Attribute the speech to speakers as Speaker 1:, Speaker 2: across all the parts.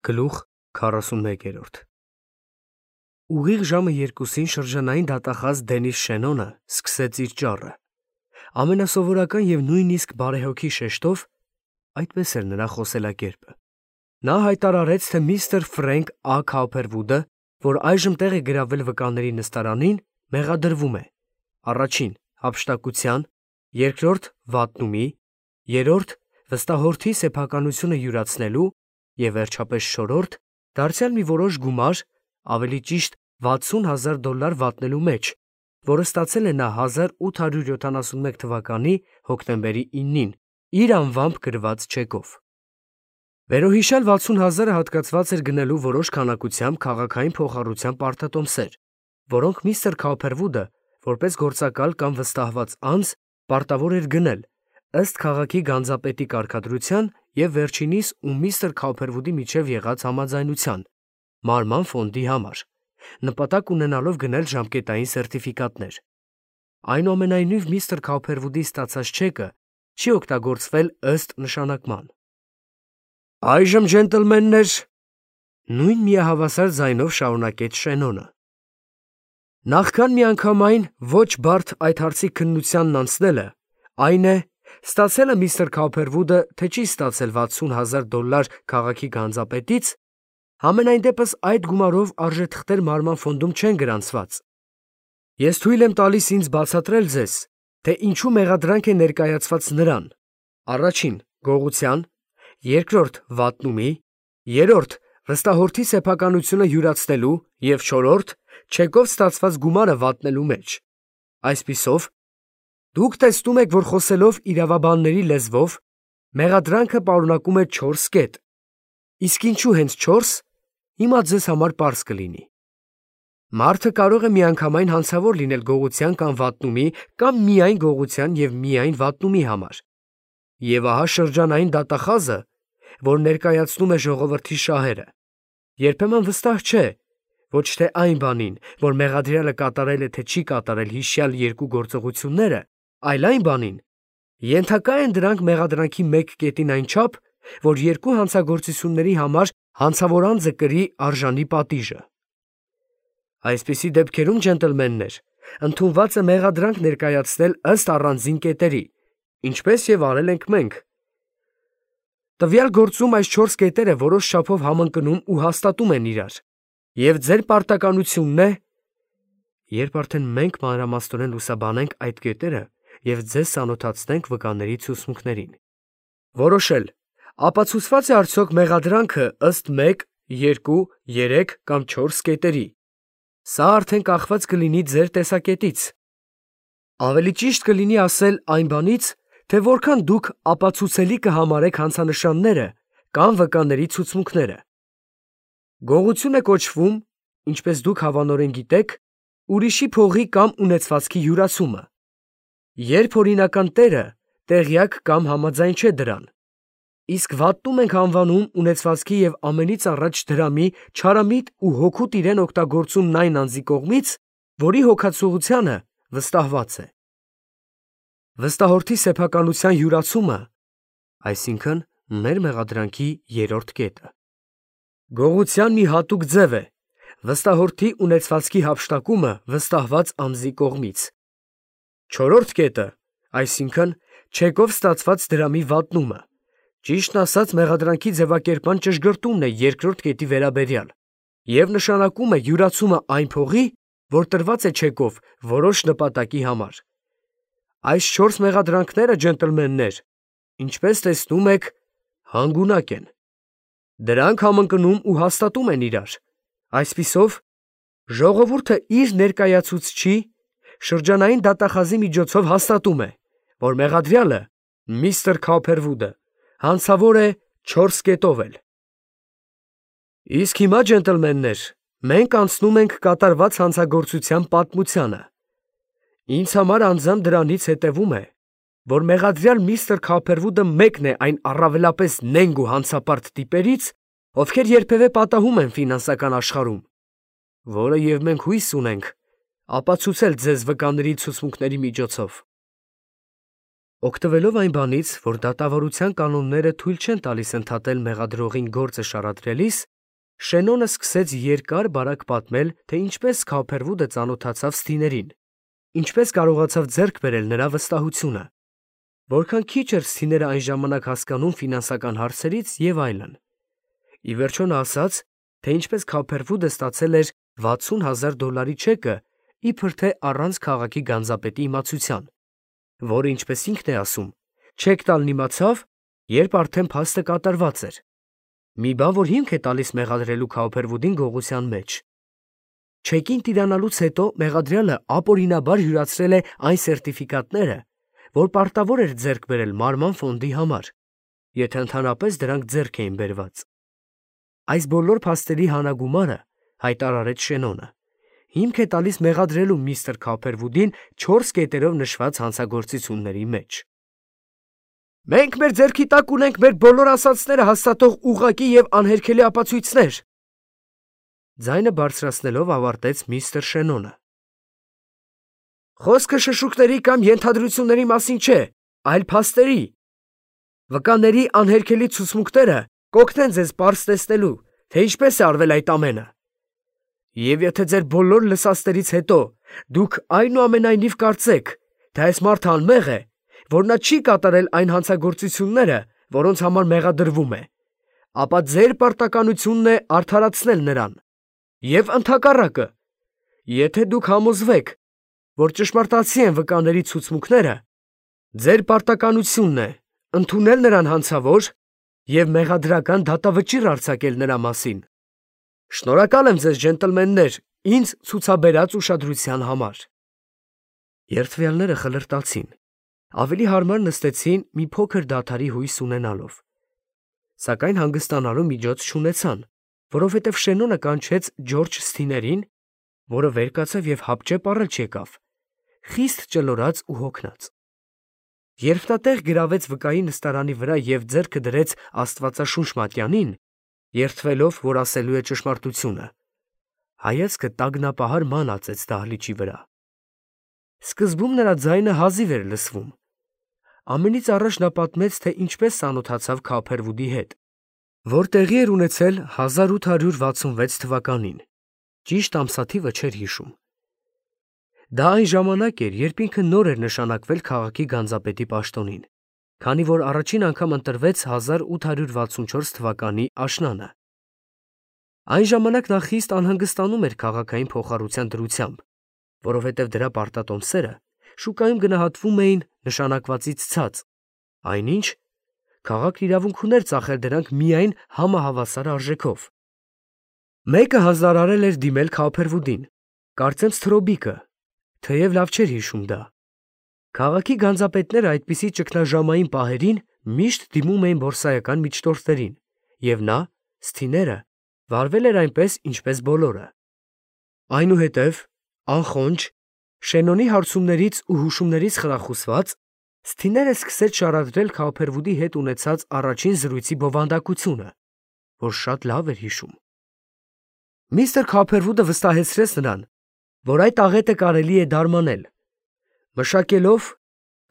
Speaker 1: Գլուխ 41 Ուղիղ ժամը 2-ին շրջանային դատախազ Դենիս Շենոնը սկսեց իր ճառը։ Ամենասովորական և նույնիսկ բարեհոգի շեշտով, այդպես էր նրա խոսելակերպը, նա հայտարարեց, թե միստր Ֆրենք Ա. Քաուփերվուդը, որ այժմ տեղ է գրավել վկաների նստարանին, մեղադրվում է. առաջին՝ հափշտակության, երկրորդ՝ վատնումի, երրորդ՝ վստահորդի սեփականությունը յուրացնելու և վերջապես չորրորդ՝ դարձյալ մի որոշ գումար, ավելի ճիշտ $60,000 վատնելու մեջ, որը ստացել է նա 1871 թվականի հոկտեմբերի 9-ին իր անվամբ գրված չեկով։ Վերոհիշյալ 60,000-ը հատկացված էր գնելու որոշ քանակությամբ քաղաքային փոխառության պարտատոմսեր, որոնք միստր Քաուփերվուդը, որպես գործակալ կամ վստահված անձ, պարտավոր էր գնել, ըստ քաղաքի գանձապետի կարգադրության և վերջինիս ու միստր Քաուփերվուդի միջև եղած համաձայնության, մարման ֆոնդի համար, նպատակ ունենալով գնել ժամկետային սերտիֆիկատներ։ Այնուամենայնիվ միստր Քաուփերվուդի ստացած չեկը չի օգտագործվել ըստ նշանակման։ Այժմ, ջենտլմեններ, նույն միահավասար ձայնով շարունակեց Շենոնը, նախքան միանգամայն ոչ բարդ այդ հարցի քննությանն անցնելը, այն է, ստացել է միստր Քաուփերվուդը, թե չի ստացել $60,000 քաղաքի գանձապետից, համենայն դեպս այդ գումարով արժեթղթեր մարման ֆոնդում չեն գրանցված։ Ես թույլ եմ տալիս ինձ բացատրել ձեզ, թե ինչու մեղադրանք է ներկայացված նրան. առաջին՝ գողության, երկրորդ՝ վատնումի, երրորդ՝ վստահորդի սեփականությունը յուրացնելու և չորրորդ՝ չեկով ստացված գումարը վատնելու մեջ։ Այսպիսով, դուք տեսնում եք, որ խոսելով իրավաբանների լեզվով, մեղադրանքը պարունակում է 4 կետ, իսկ ինչու հենց 4, հիմա ձեզ համար պարզ կլինի։ Մարդը կարող է միանգամայն հանցավոր լինել գողության կամ վատնումի կամ միայն գողության և միայն վատնումի համար։ Եվ ահա շրջանային դատախազը, որ ներկայացնում է ժողովրդի շահերը, երբեմն վստահ չէ ոչ թե այն բանին, որ մեղադրյալը կատարել է թե չի կատարել հիշյալ երկու գործողությունները, այլ այն բանին, ենթակա են դրանք մեղադրանքի մեկ կետին այնչափ, որ երկու հանցագործությունների համար հանցավոր անձը կրի արժանի պատիժը։ Այսպիսի դեպքերում, ջենտլմեններ, ընդունված է մեղադրանք ներկայացնել ըստ առանձին կետերի, ինչպես և արել ենք մենք։ Տվյալ գործում այս 4 կետերը որոշ չափով համընկնում ու հաստատում են իրար, և ձեր պարտականությունն է, երբ արդեն մենք մանրամասնորեն լուսաբանենք այդ կետերը և ձեզ ծանոթացնենք վկաների ցուցմունքներին, որոշել, ապացուցված է արդյոք մեղադրանքը ըստ 1, 2, 3 կամ 4 կետերի։ Սա արդեն կախված կլինի ձեր տեսակետից։ Ավելի ճիշտ կլինի ասել այն բանից, թե որքան դուք ապացուցելի կհամարեք հանցանշանները կամ վկաների ցուցմունքները։ Գողություն է կոչվում, ինչպես դուք հավանորեն գիտեք, ուրիշի փողի կամ ունեցվածքի յուրացումը, երբ օրինական տերը տեղյակ կամ համաձայն չէ դրան, իսկ վատնում ենք անվանում ունեցվածքի և ամենից առաջ դրամի չարամիտ ու հօգուտ իրեն օգտագործումն այն անձի կողմից, որի հոգացողությանը վստահված է։ Վստահորդի սեփականության յուրացումը, այսինքն մեր մեղադրանքի երրորդ կետը, գողության մի հատուկ ձև է, վստահորդի ունեցվածքի հափշտակումը վստահված անձի կողմից։ Չորրորդ կետը, այսինքն չեկով ստացված դրամի վատնումը, ճիշտն ասած մեղադրանքի ձևակերպման ճշգրտումն է երկրորդ կետի վերաբերյալ և նշանակում է յուրացումը այն փողի, որ տրված է չեկով որոշ նպատակի համար։ Այս 4 մեղադրանքները, ջենտլմեններ, ինչպես տեսնում եք, հանգունակ են։ Դրանք համընկնում ու հաստատում են իրար։ Այսպիսով, ժողովուրդը իր ներկայացուցչի շրջանային դատախազի միջոցով հաստատում է, որ մեղադրյալը միստր Քաուփերվուդը հանցավոր է 4 կետով էլ։ Իսկ հիմա, ջենտլմեններ, մենք անցնում ենք կատարված հանցագործության պատմությանը։ Ինձ համար անձամբ դրանից հետևում է, որ մեղադրյալ միստր Քաուփերվուդը մեկն է այն առավելապես նենգ ու հանցապարտ տիպերից, ովքեր երբևէ պատահում են ֆինանսական աշխարհում, որը և մենք հույս ունենք ապացուցել ձեզ վկաների ցուցմունքների միջոցով։ Օգտվելով այն բանից, որ դատավարության կանոնները թույլ չեն տալիս ընդհատել մեղադրողին գործը շարադրելիս, Շենոնը սկսեց երկար բարակ պատմել, թե ինչպես Քոփերվուդը ծանոթացավ Սթիներին, ինչպես կարողացավ ձեռք բերել նրա վստահությունը, որքան քիչ էր Սթիները այն ժամանակ հասկանում ֆինանսական հարցերից եւ այլն։ Ի վերջո նա ասաց, թե ինչպես Քոփերվուդը ստացել էր $60,000 չեկը, իբր թե առանց քաղաքի գանձապետի իմացության, որը ինչպես ինքն է ասում, չեք տալն իմացավ, երբ արդեն փաստը կատարված էր։ Մի բան, որ հիմք է տալիս մեղադրելու Քոփերվուդին գողության մեջ։ Չեկին տիրանալուց հետո մեղադրյալը ապօրինաբար յուրացրել է այն սերտիֆիկատները, որ պարտավոր էր ձեռք բերել մարման ֆոնդի համար, եթե ընդհանրապես դրանք ձեռք էին բերված։ Այս բոլոր փաստերի հանագումարը, հայտարարեց Շենոնը, հիմք է տալիս մեղադրելու միստր Քոփերվուդին 4 կետերով նշված հանցագործությունների մեջ։ Մենք մեր ձեռքի տակ ունենք մեր բոլոր ասացները հաստատող ուղղակի եւ անհերքելի ապացույցներ։ Ձայնը բարձրացնելով ավարտեց միստր Շենոնը։ Խոսքը շշուկների կամ ենթադրությունների մասին չէ, այլ փաստերի։ Վկաների անհերքելի ցուցմունքները կօգնեն ձեզ պարզ տեսնելու, թե ինչպես է արվել այդ ամենը։ Եվ եթե ձեր բոլոր լսածներից հետո դուք այնուամենայնիվ կարծեք, թե այս մարդը անմեղ է, որ նա չի կատարել այն հանցագործությունները, որոնց համար մեղադրվում է, ապա ձեր պարտականությունն է արդարացնել նրան։ Եվ ընդհակառակը, եթե դուք համոզվեք, որ ճշմարտացի են վկաների ցուցմունքները, ձեր պարտականությունն է ընդունել նրան հանցավոր և մեղադրական դատավճիռ արձակել նրա մասին։ Շնորհակալ եմ ձեզ, ջենտլմեններ, ինձ ցուցաբերած ուշադրության համար։ Երդվյալները խլրտացին, ավելի հարմար նստեցին մի փոքր դադարի հույս ունենալով, սակայն հանգստանալու միջոց չունեցան, որովհետև Շենոնը կանչեց Ջորջ Սթիներին, որը վեր կացավ և հապճեպ առել չեկավ, խիստ ճլորած ու հոգնած։ Երբ նա տեղ գրավեց վկայի նստարանի վրա և ձեռքը դրեց Աստվածաշունչ մատյանին, երդվելով, որ ասելու է ճշմարտությունը, հայացքը տագնապահար ման ածեց դահլիճի վրա։ Սկզբում նրա ձայնը հազիվ էր լսվում։ Ամենից առաջ նա պատմեց, թե ինչպես ծանոթացավ Քոփերվուդի հետ, որ տեղի էր ունեցել 1866 թվականին, ճիշտ ամսաթիվը չէր հիշում։ Դա այն ժամանակ էր, երբ ինքը նոր էր նշանակվել քաղաքի գանձապետի պաշտոնին, քանի որ առաջին անգամ ընտրվեց 1864 թվականի աշնանը։ Այն ժամանակ նա խիստ անհանգստանում էր քաղաքային փոխառության դրությամբ, որովհետև դրա պարտատոմսերը շուկայում գնահատվում էին նշանակվածից ցած, այնինչ քաղաքն իրավունք ուներ ծախել դրանք միայն համահավասար արժեքով։ Մեկը հանձնարարել էր դիմել Քոփերվուդին, կարծեմ Սթրոբիկը, թեև լավ չէր հիշում դա։ Քաղաքի գանձապետները այդպիսի ճգնաժամային պահերին միշտ դիմում էին բորսայական միջնորդներին, և նա, Սթիները, վարվել էր այնպես, ինչպես բոլորը։ Այնուհետև, անխոնջ, Շենոնի հարցումներից ու հուշումներից խրախուսված, Սթիները սկսեց շարադրել Քոփերվուդի հետ ունեցած առաջին զրույցի բովանդակությունը, որ շատ լավ էր հիշում։ Միստր Քոփերվուդը վստահեցրեց նրան, որ այդ աղետը կարելի է դարմանել, մշակելով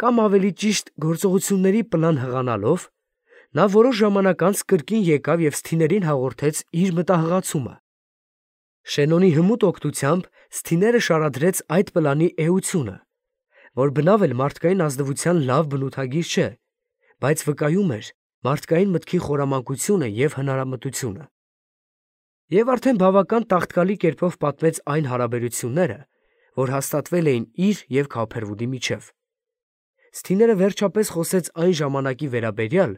Speaker 1: կամ ավելի ճիշտ գործողությունների պլան հղանալով, նա որոշ ժամանակ անց կրկին եկավ և Սթիներին հաղորդեց իր մտահղացումը։ Շենոնի հմուտ օգնությամբ Սթիները շարադրեց այդ պլանի էությունը, որ բնավ էլ մարդկային ազնվության լավ բնութագիր չէ, բայց վկայում էր մարդկային մտքի խորամանկությունը և հնարամտությունը։ Եվ արդեն բավական տաղտկալի կերպով պատմեց այն հարաբերությունները, որ հաստատվել էին իր և Քոփերվուդի միջև։ Սթիները վերջապես խոսեց այն ժամանակի վերաբերյալ,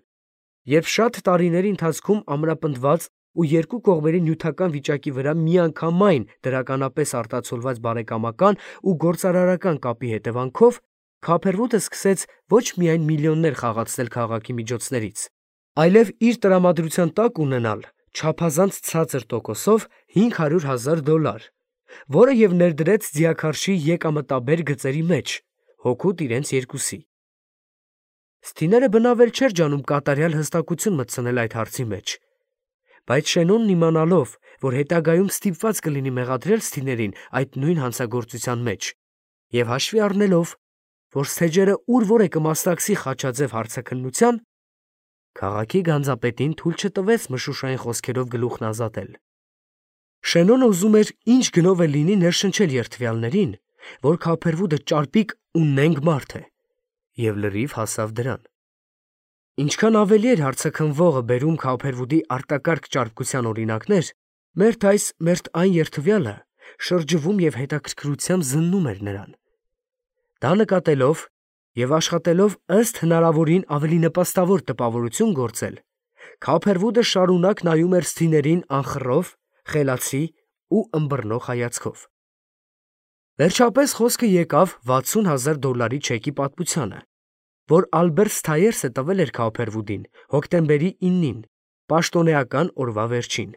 Speaker 1: երբ շատ տարիների ընթացքում ամրապնդված ու երկու կողմերի նյութական վիճակի վրա միանգամայն դրականապես արտացոլված բարեկամական ու գործարարական կապի հետևանքով Քոփերվուդը սկսեց ոչ միայն միլիոններ խաղացնել քաղաքի միջոցներից, այլև իր տրամադրության տակ ունենալ չափազանց ցածր տոկոսով $500,000, որը և ներդրեց ձիաքարշի եկամտաբեր գծերի մեջ, հօգուտ իրենց երկուսի։ Սթիները բնավ էլ չէր ջանում կատարյալ հստակություն մտցնել այդ հարցի մեջ, բայց Շենոնն իմանալով, որ հետագայում ստիպված կլինի մեղադրել Սթիներին այդ նույն հանցագործության մեջ, և հաշվի առնելով, որ Սթեջերը ուր որ է կմասնակցի խաչաձև հարցաքննության, քաղաքի գանձապետին թույլ չտվեց մշուշային խոսքերով գլուխն ազատել։ Շենոնը ուզում էր ինչ գնով է լինի ներշնչել երդվյալներին, որ Քափերվուդը ճարպիկ ու նենգ մարդ է, և լրիվ հասավ դրան։ Ինչքան ավելի էր հարցաքննվողը բերում Քափերվուդի արտակարգ ճարպկության օրինակներ, մերթ այս, մերթ այն երդվյալը շրջվում և հետաքրքրությամբ զննում էր նրան։ Դա նկատելով և աշխատելով ըստ հնարավորին ավելի նպաստավոր տպավորություն գործել, Քափերվուդը շարունակ նայում էր սթիներին անխռով, խելացի ու ըմբռնող հայացքով։ Վերջապես խոսքը եկավ $60,000 չեկի պատմությանը, որ Ալբերտ Սթայերսը տվել էր Քափերվուդին հոկտեմբերի 9-ին, պաշտոնեական օրվա վերջին։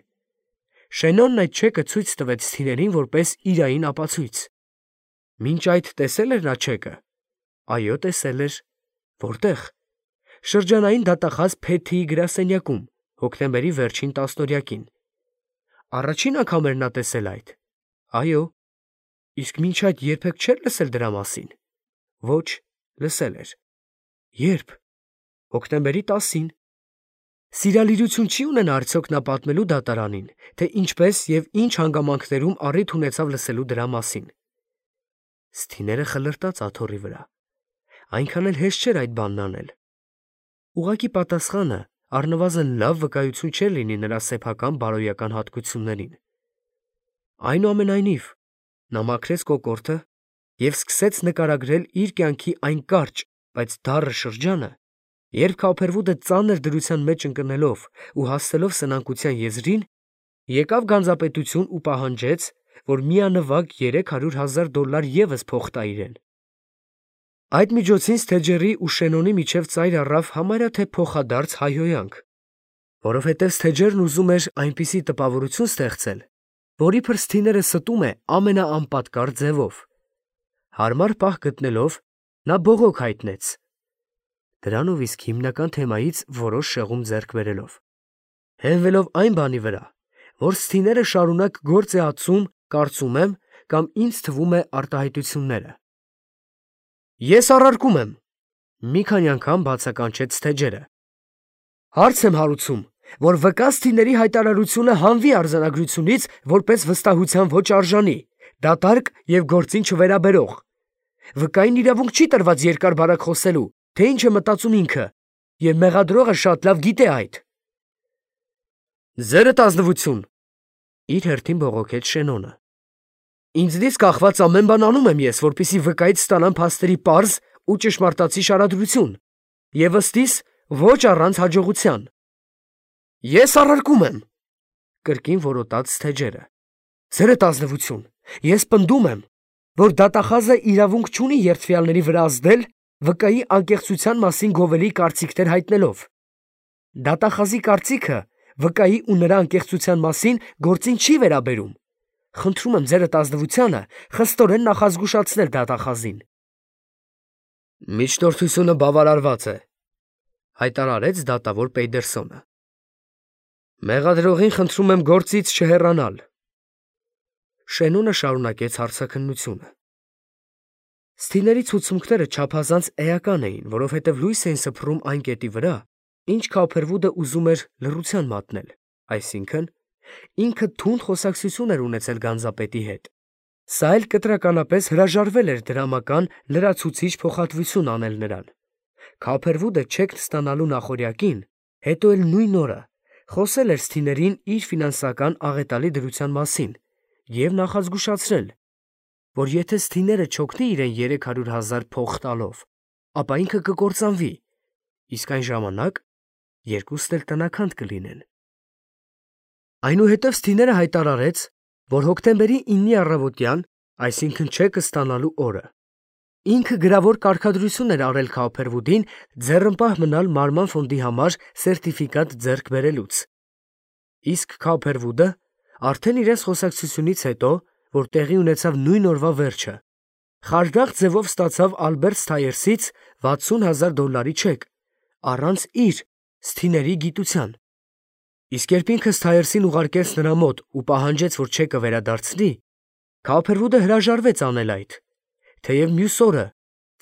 Speaker 1: Շենոնն այդ չեկը ցույց տվեց սթիներին որպես իրային ապացույց։ Մինչ այդ տեսել էր նա չեկը։ Այո, տեսել էր։ Որտե՞ղ։ Շրջանային դատախազ Փեթիի գրասենյակում, հոկտեմբերի վերջին տասնօրյակին։ Առաջին անգամ էր նա տեսել այդ։ Այո։ Իսկ մինչ այդ երբեք չէր լսել դրա մասին։ Ոչ, լսել էր։ Ե՞րբ։ Հոկտեմբերի 10-ին։ Սիրալիրություն չի ունենա արդյոք նա պատմելու դատարանին, թե ինչպես և ինչ հանգամանքներում առիթ ունեցավ լսելու դրա մասին։ Սթիները խլրտաց աթոռի վրա։ Այնքան էլ հեշտ չէր այդ բանն անել։ Ուղղակի պատասխանը առնվազն լավ վկայություն չէր լինի նրա սեփական բարոյական հատկություններին։ Այնուամենայնիվ, նա մաքրեց կոկորդը և սկսեց նկարագրել իր կյանքի այն կարճ, բայց դառը շրջանը, երբ Քափերվուդը ծանր դրության մեջ ընկնելով ու հասցելով սնանկության եզրին, եկավ գանձապետություն ու պահանջեց, որ միանվագ $300,000 ևս փող տա իրեն։ Այդ միջոցին Սթեջերի ու Շենոնի միջև ծայր առավ համարյա թե փոխադարձ հայհոյանք, որովհետև Սթեջերն ուզում էր այնպիսի տպավորություն ստեղծել, որ իբր Սթիները ստում է ամենաանպատկար ձևով։ Հարմար պահ գտնելով, նա բողոք հայտնեց, դրանով իսկ հիմնական թեմայից որոշ շեղում ձեռք բերելով, հենվելով այն բանի վրա, որ Սթիները շարունակ գործ է ածում, կարծում եմ, կամ ինձ թվում է արտահայտությունները։ Ես առարկում եմ, մի քանի անգամ բացականչեց Սթեջերը։ Հարց եմ հարուցում, որ վկա Սթիների հայտարարությունը հանվի արձանագրությունից որպես վստահության ոչ արժանի, դատարկ և գործին չվերաբերող։ Վկային իրավունք չի տրված երկար բարակ խոսելու, թե ինչ է մտածում ինքը, և մեղադրողը շատ լավ գիտե այդ։ Ձերդ ազնվություն, իր հերթին բողոքեց Շենոնը։ Ինձնից կախված ամեն բան անում եմ ես, որպեսզի վկայից ստանամ փաստերի պարզ ու ճշմարտացի շարադրություն, և ըստիս ոչ առանց հաջողության։ Ես առարկում եմ, կրկին որոտաց Սթեջերը։ Ձերդ ազնվություն, ես պնդում եմ, որ դատախազը իրավունք չունի երդվյալների վրա ազդել վկայի անկեղծության մասին գովելի կարծիքներ հայտնելով։ Դատախազի կարծիքը վկայի ու նրա անկեղծության մասին գործին չի վերաբերում։ Խնդրում եմ ձերդ ազնվությանը խստորեն նախազգուշացնել դատախազին։ Միջնորդությունը բավարարված է, հայտարարեց դատավոր Պեյդերսոնը։ Մեղադրողին խնդրում եմ գործից չհեռանալ։ Շենոնը շարունակեց հարցաքննությունը։ Սթիների ցուցմունքները չափազանց էական էին, որովհետև լույս էին սփռում այն կետի վրա, ինչ Քափերվուդը ուզում էր լռության մատնել, այսինքն ինքը թունդ խոսակցություն էր ունեցել գանձապետի հետ։ Սա էլ կտրականապես հրաժարվել էր դրամական լրացուցիչ փոխհատվություն անել նրան։ Քափերվուդը չեկն ստանալու նախօրյակին, հետո էլ նույն օրը, խոսել էր Սթիներին իր ֆինանսական աղետալի դրության մասին և նախազգուշացրել, որ եթե Սթիները չօգնի իրեն $300,000 փող տալով, ապա ինքը կկործանվի, իսկ այն ժամանակ երկուստ էլ տնաքանդ կլինեն։ Այնուհետև Սթիները հայտարարեց, որ հոկտեմբերի 9-ի առավոտյան, այսինքն չեկը ստանալու օրը, ինքը գրավոր կարգադրություն էր արել Քափերվուդին ձեռնպահ մնալ Մարման ֆոնդի համար սերտիֆիկատ ձեռք բերելուց։ Իսկ Քափերվուդը արդեն իրենց խոսակցությունից հետո, որ տեղի ունեցավ նույն օրվա վերջը, խարդախ ձևով ստացավ Ալբերտ Սթայերսից $60,000 չեք, առանց իր Սթիների գիտության։ Իսկ երբ ինքը Սթայերսին ուղարկեց նրա մոտ ու պահանջեց, որ չեկը վերադարձնի, Քափերվուդը հրաժարվեց անել այդ, թեև մյուս օրը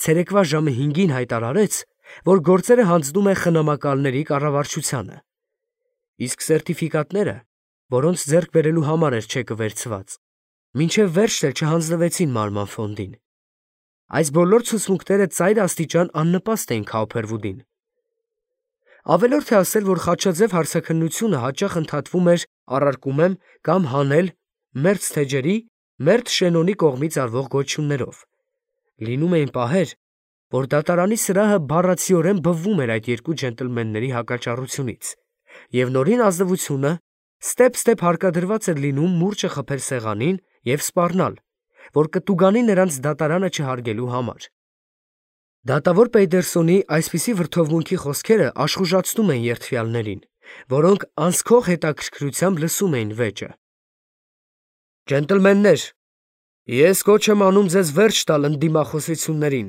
Speaker 1: ցերեկվա ժամը 5-ին հայտարարեց, որ գործերը հանձնում է խնամակալների կառավարչությանը։ Իսկ սերտիֆիկատները որոնց ձեռք բերելու համար էր չեկը վերցված, մինչև վերջն էլ չհանձնվեցին Մարման ֆոնդին։ Այս բոլոր ցուցմունքները ծայր աստիճան աննպաստ էին Քաուփերվուդին։ Ավելորդ է ասել, որ խաչաձև հարցաքննությունը հաճախ ընդհատվում էր առարկումեմ կամ հանել մերձ թեջերի, մերձ Շենոնի կողմից արվող գոչություններով։ Լինում էին պահեր, որ դատարանի սրահը բառացիորեն բվվում էր այդ երկու ջենտլմենների հակաճառությունից, և նորին ազնվությունը ստեպ հարկադրված էր լինում մուրճը խփել սեղանին և սպառնալ, որ կտուգանի նրանց դատարանը չհարգելու համար։ Դատավոր Պեյդերսոնի այսպիսի վրդովմունքի խոսքերը աշխուժացնում են երդվյալներին, որոնք անսքող հետաքրքրությամբ լսում էին վեճը։ Ջենտլմեններ, ես կոչ եմ անում ձեզ վերջ տալ ընդդիմախոսություններին։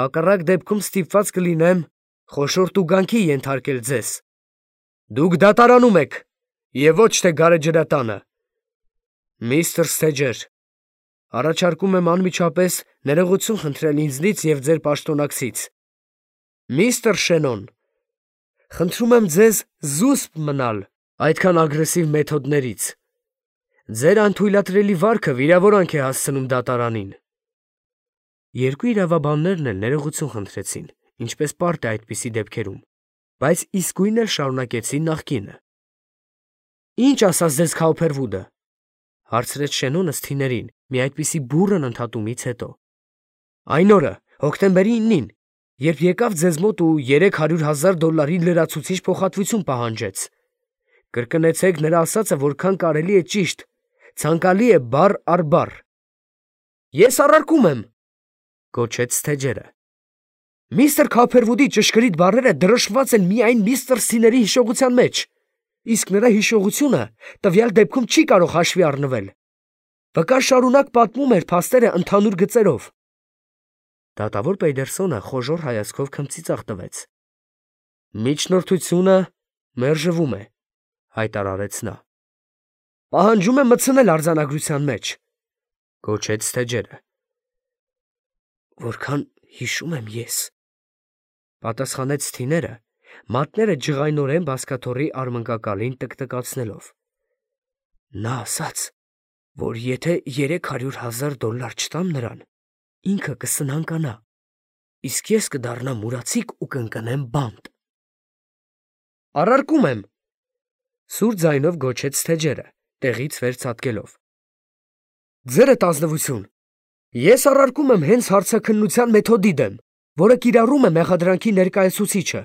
Speaker 1: Հակառակ դեպքում ստիպված կլինեմ խոշոր տուգանքի ենթարկել ձեզ։ Դուք դատարանում եք և ոչ թե գարեջրատանը։ Միստր Սթեջեր, առաջարկում եմ անմիջապես ներողություն խնդրել ինձնից և ձեր պաշտոնակցից։ Միստր Շենոն, խնդրում եմ ձեզ զուսպ մնալ այդքան ագրեսիվ մեթոդներից։ Ձեր անթույլատրելի վարքը վիրավորանք է հասցնում դատարանին։ Երկու իրավաբաններն էլ ներողություն խնդրեցին, ինչպես պարտ է այդպիսի դեպքերում, բայց իսկույն էլ շարունակեցին նախկինը։ Ինչ ասաց ձեզ Քաուփերվուդը, հարցրեց Շենոնը Սթիներին մի այդպիսի բուռն ընդհատումից հետո։ Այն օրը, հոկտեմբերի 9-ին, երբ եկավ ձեզ մոտ ու $300,000 լրացուցիչ փոխհատվություն պահանջեց։ Կրկնեցեք նրա ասածը որքան կարելի է ճիշտ, ցանկալի է բառ առ բառ։ Ես առարկում եմ, գոչեց Սթեջերը։ Միստր Քաուփերվուդի ճշգրիտ բառերը դրոշմված են միայն միստր Սթիների հիշողության մեջ, իսկ նրա հիշողությունը տվյալ դեպքում չի կարող հաշվի առնվել։ Վկան շարունակ պատմում էր փաստերը ընդհանուր գծերով։ Դատավոր Պեյդերսոնը խոժոռ հայացքով քմծիծաղ տվեց։ Միջնորդությունը մերժվում է, հայտարարեց նա։ Պահանջում եմ մտցնել արձանագրության մեջ, գոչեց Սթեջերը։ Որքան հիշում եմ ես, պատասխանեց Սթիները, մատները ջղայնորեն բազկաթոռի արմնկակալին տկտկացնելով։ Նա ասաց, որ եթե $300,000 չտամ նրան, ինքը կսնանկանա, իսկ ես կդառնամ ուրացիկ ու կընկնեմ բանտ։ Առարկում եմ, սուր ձայնով գոչեց Սթեջերը, տեղից վեր ցատկելով։ Ձերդ ազնվություն, ես առարկում եմ հենց հարցաքննության մեթոդի դեմ, որը կիրառում է մեղադրանքի ներկայացուցիչը։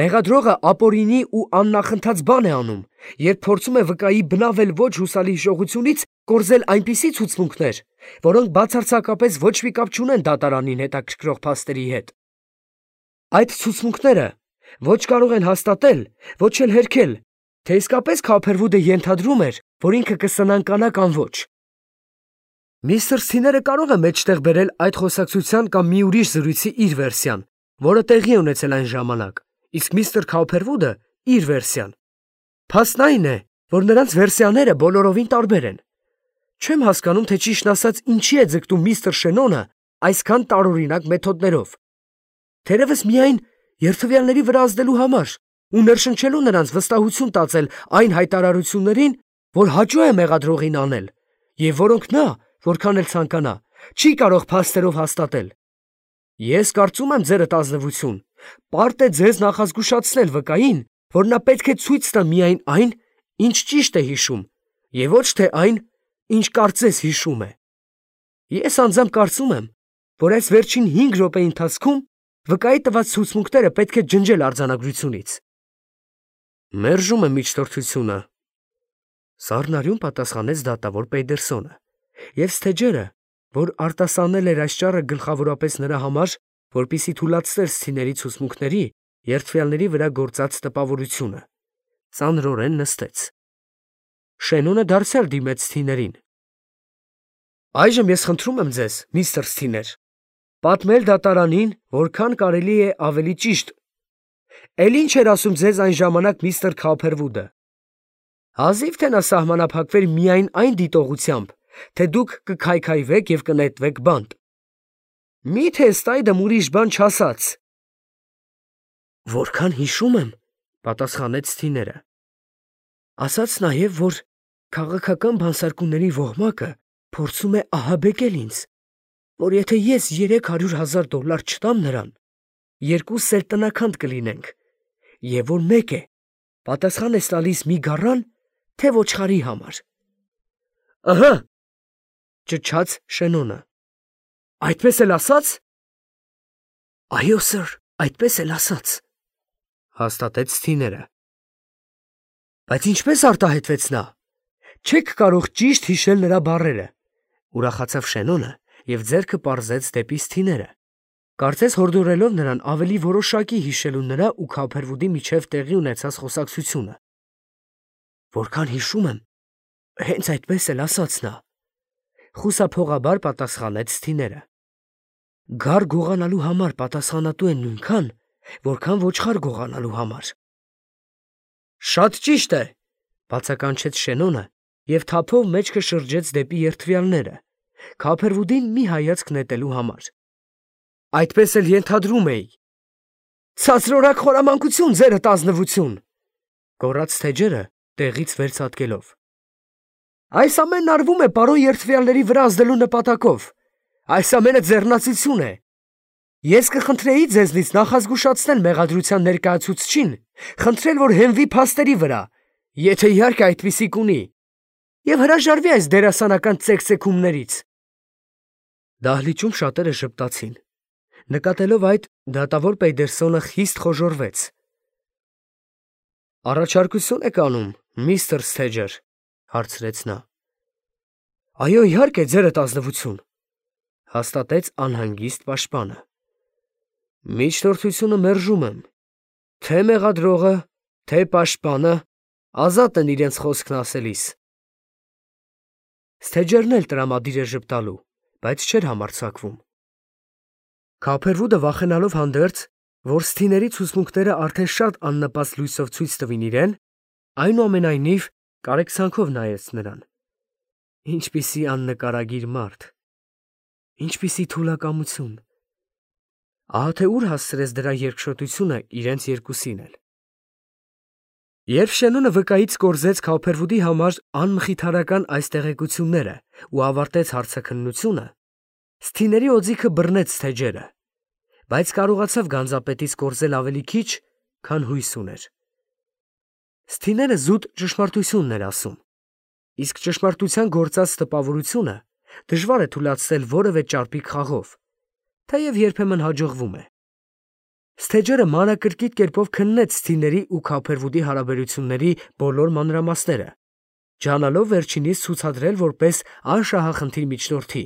Speaker 1: Մեղադրողը ապօրինի ու աննախընթաց բան է անում, երբ փորձում է վկայի բնավել ոչ հուսալի հիշողությունից կորզել այնպիսի ցուցմունքներ, որոնք բացարձակապես ոչ մի կապ չունեն դատարանին հետաքրքրող փաստերի հետ։ Այդ ցուցմունքները ոչ կարող են հաստատել, ոչ էլ հերքել, թե իսկապես Քաուփերվուդը ենթադրում էր, որ ինքը կսնանկանա կամ ոչ։ Միստր Սթիները կարող է մեջտեղ բերել այդ խոսակցության կամ մի ուրիշ զրույցի իր վերսիան, որը տեղի ունեցել այն ժամանակ, իսկ միստր Քաուփերվուդը իր վերսիան։ Փաստն այն է, որ նրանց վերսիաները բոլորովին տարբեր են։ Չեմ հասկանում, թե ճիշտն ասած ինչի է ձգտում միստր Շենոնը այսքան տարօրինակ մեթոդներով։ Թերևս միայն երդվյալների վրա ազդելու համար ու ներշնչելու նրանց վստահություն տածել այն հայտարարություններին, որ հաճո է մեղադրողին անել, և որոնք նա, որքան էլ ցանկանա, չի կարող փաստերով հաստատել։ Ես կարծում եմ, ձերդ ազնվություն, պարտ է ձեզ նախազգուշացնել վկային, որ նա պետք է ցույց տա միայն այն, ինչ ճիշտ է հիշում, և ոչ թե այն, ինչ կարծես հիշում է։ Ես անձամբ կարծում եմ, որ այս վերջին 5 րոպեի ընթացքում վկայի տված ցուցմունքները պետք է ջնջել արձանագրությունից։ Մերժում եմ միջնորդությունը, սառնարյուն պատասխանեց դատավոր Պեյդերսոնը, և Սթեջերը, որ արտասանել էր այս ճառը գլխավորապես նրա համար, որպեսզի թուլացներ Սթիների ցուցմունքների երդվյալների վրա գործած տպավորությունը, ծանրորեն նստեց։ Շենոնը դարձյալ դիմեց Սթիներին։ Այժմ ես խնդրում եմ ձեզ, միստր Սթիներ, պատմել դատարանին, որքան կարելի է ավելի ճիշտ։ Էլ ինչ էր ասում ձեզ այն ժամանակ միստր Քաուփերվուդը։ Հազիվ թե նա սահմանափակվեր միայն այն դիտողությամբ, թե դուք կքայքայվեք և կնետվեք բանտ։ Մի՞թե ըստ այդմ ուրիշ բան չասաց։ Որքան հիշում եմ, պատասխանեց Սթիները։ Ասաց նաև, որ քաղաքական բանսարկումների ոհմակը փորձում է ահաբեկել ինձ, որ եթե ես $300,000 չտամ նրան, 2 սերտնաքանդ կլինենք, և որ մեկ է, պատասխան ես տալիս մի գառան, թե ոչխարի համար։ Ըհը, ճչաց Շենոնը։ Այդպես էլ ասաց։ Այո, սըր, այդպես էլ ասաց, հաստատեց Սթիները։ Բայց ինչպես արտահայտվեց նա։ Չեք կարող ճիշտ հիշել նրա բառերը, ուրախացավ Շենոնը և ձեռքը պարզեց դեպի Սթիները, կարծես հորդորելով նրան ավելի որոշակի հիշելու նրա ու Քոփերվուդի միջև տեղի ունեցած խոսակցությունը։ Որքան հիշում եմ, հենց այդպես էլ ասաց նա, խուսափողաբար պատասխանեց Սթիները։ Գառ գողանալու համար պատասխանատու են նույնքան, որքան ոչխար գողանալու համար։ Շատ ճիշտ է, բացականչեց Շենոնը և թափով մեջքը շրջեց դեպի երդվյալները, Քոփերվուդին մի հայացք նետելու համար։ Այդպես էլ ենթադրում էի։ Ցածրորակ խորամանկություն, ձերդ ազնվություն, գոռաց Սթեջերը տեղից վերցատկելով։ Այս ամենն արվում է պարոն երդվյալների վրա ազդելու նպատակով։ Այս ամենը ձեռնացություն է։ Ես կխնդրեի ձեզնից նախազգուշացնել մեղադրության ներկայացուցչին, խնդրել, որ հենվի փաստերի վրա, եթե իհարկե այդպիսի կունի, և հրաժարվի այս դերասանական ծեքծեքումներից։ Դահլիճում շատերը ժպտացին։ Նկատելով այդ, դատավոր Պեյդերսոնը խիստ խոժոռվեց։ Առաջարկություն եք անում, միստր Սթեջեր, հարցրեց նա։ Այո, իհարկե, ձերդ ազնվություն, հաստատեց անհանգիստ պաշտպանը։ Միջնորդությունը մերժում եմ, թե մեղադրողը, թե պաշտպանը ազատ են իրենց խոսքն ասելիս։ Սթեջերն էլ տրամադիր էր ժպտալու, բայց չէր համարձակվում։ Քոփերվուդը վախենալով հանդերձ, որ Սթիների ցուցմունքները արդեն շատ աննպաստ լույսով ցույց տվին իրեն, այնուամենայնիվ կարեկցանքով նայեց նրան։ Ինչպիսի աննկարագիր մարդ, ինչպիսի թուլակամություն։ Ահա թե ուր հասցրեց դրա երկշոտությունը իրենց երկուսին էլ։ Երբ Շենոնը վկայից կորզեց Քոփերվուդի համար անմխիթարական այս տեղեկությունները ու ավարտեց հարցաքննությունը, Սթիների օձիքը բռնեց Սթեջերը, բայց կարողացավ գանձապետից կորզել ավելի քիչ, քան հույս ուներ։ Սթիները զուտ ճշմարտությունն էր ասում, իսկ ճշմարտության գործած տպավորությունը դժվար է թուլացնել որևէ ճարպիկ խաղով, թեև երբեմն հաջողվում է։ Սթեջերը մանրակրկիտ կերպով քննեց Սթիների ու Քոփերվուդի հարաբերությունների բոլոր մանրամասները, ջանալով վերջինիս ցուցադրել որպես անշահախնդիր միջնորդի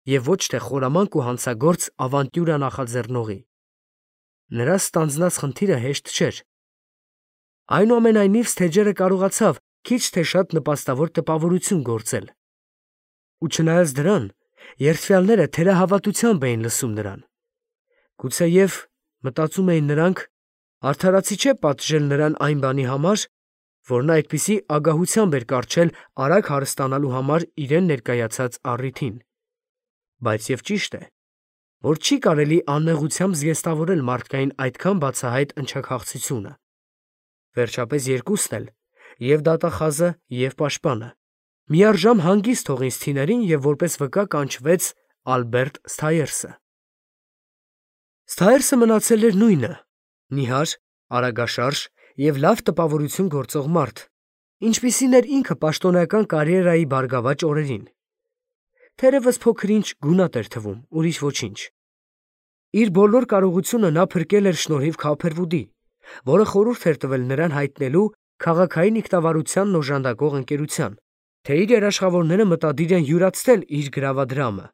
Speaker 1: և ոչ թե խորամանկ ու հանցագործ ավանտյուրա նախաձեռնողի։ Նրա ստանձնած խնդիրը հեշտ չէր։ Այնուամենայնիվ Սթեջերը կարողացավ քիչ թե շատ նպաստավոր տպավորություն գործել։ Ու չնայած դրան, երդվյալները թերահավատությամբ էին լսում նրան։ Գուցեև, մտածում էին նրանք, արդարացի չէ պատժել նրան այն բանի համար, որ նա այդպիսի ագահությամբ էր կառչել արագ հարստանալու համար իրեն ներկայացած առիթին։ Բայց և ճիշտ է, որ չի կարելի աննեղությամբ զգեստավորել մարդկային այդքան բացահայտ ընչաքաղցությունը։ Վերջապես երկուսն էլ, և դատախազը, և պաշտպանը, միառժամ հանգիստ թողին Սթիներին և որպես վկա կանչվեց Ալբերտ Սթայերսը։ Սթայերսը մնացել էր նույնը՝ նիհար, արագաշարժ և լավ տպավորություն գործող մարդ, ինչպիսին էր ինքը պաշտոնական կարիերայի բարգավաճ օրերին։ Թերևս փոքր-ինչ գունատ էր թվում, ուրիշ ոչինչ։ Իր բոլոր կարողությունը նա փրկել էր շնորհիվ Քոփերվուդի, որը խորհուրդ էր տվել նրան հայտնելու քաղաքային ինքնավարությանն օժանդակող ընկերության, թե իր երաշխավորները մտադիր են յուրացնել իր գրավադրամը,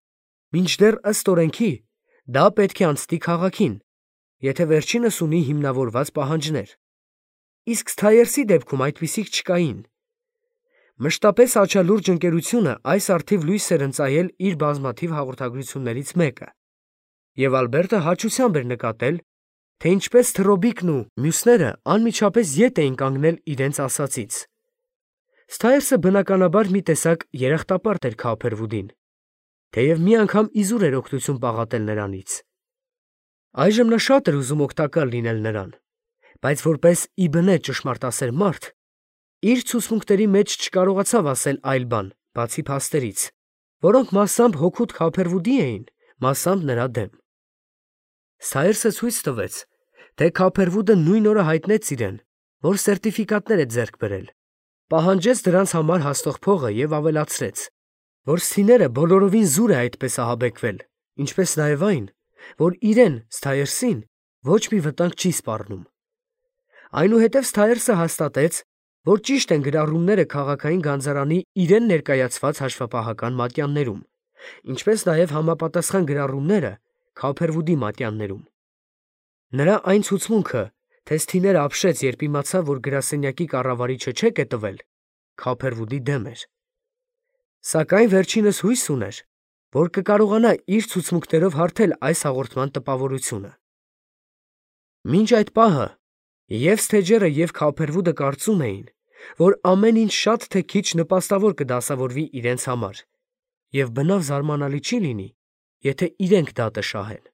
Speaker 1: մինչդեռ ըստ օրենքի դա պետք է անցնի քաղաքին, եթե վերջինս ունի հիմնավորված պահանջներ։ Իսկ Սթայերսի դեպքում այդպիսիք չկային։ Մշտապես աչալուրջ ընկերությունը այս առթիվ լույս էր ընծայել իր բազմաթիվ հաղորդագրություններից մեկը, և Ալբերտը հաճությամբ էր նկատել, թե ինչպես Թռոբիկն ու մյուսները անմիջապես ետ էին կանգնել իրենց ասածից։ Սթայերսը բնականաբար մի տեսակ երախտապարտ էր Քոփերվուդին, թեև մի անգամ իզուր էր օգնություն պաղատել նրանից։ Այժմ նա շատ էր ուզում օգտակար լինել նրան, բայց որպես ի բնե ճշմարտասեր մարդ, Իր ցուցմունքների մեջ չկարողացավ ասել այլ բան, բացի փաստերից, որոնք մասամբ հօգուտ Քափերվուդի էին, մասամբ նրա դեմ։ Սթայրսը ցույց տվեց, թե Քափերվուդը նույն օրը հայտնեց իրեն, որ սերտիֆիկատներ է ձեռք բերել, պահանջեց դրանց համար հաստող փողը և ավելացրեց, որ Սթիները բոլորովին զուր է այդպես ահաբեկվել, ինչպես նաև այն, որ իրեն, Սթայրսին, ոչ մի վտանգ չի սպառնում։ Այնուհետև Սթայրսը հաստատեց, որ ճիշտ են գրառումները քաղաքային գանձարանի իրեն ներկայացված հաշվապահական մատյաններում, ինչպես նաև համապատասխան գրառումները Քափերվուդի մատյաններում։ Նրա այն ցուցմունքը, թե Սթիները ապշեց, երբ իմացավ, որ գրասենյակի կառավարիչը չեկ է տվել, Քափերվուդի դեմ էր։ Սակայն վերջինս հույս ուներ, որ կկարողանա իր ցուցմունքներով հարթել այս հաղորդման տպավորությունը։ Մինչ այդ պահը և Սթեջերը, և Քափերվուդը կարծում էին, որ ամեն ինչ շատ թե քիչ նպաստավոր կդասավորվի իրենց համար, և բնավ զարմանալի չի լինի, եթե իրենք դատը շահեն։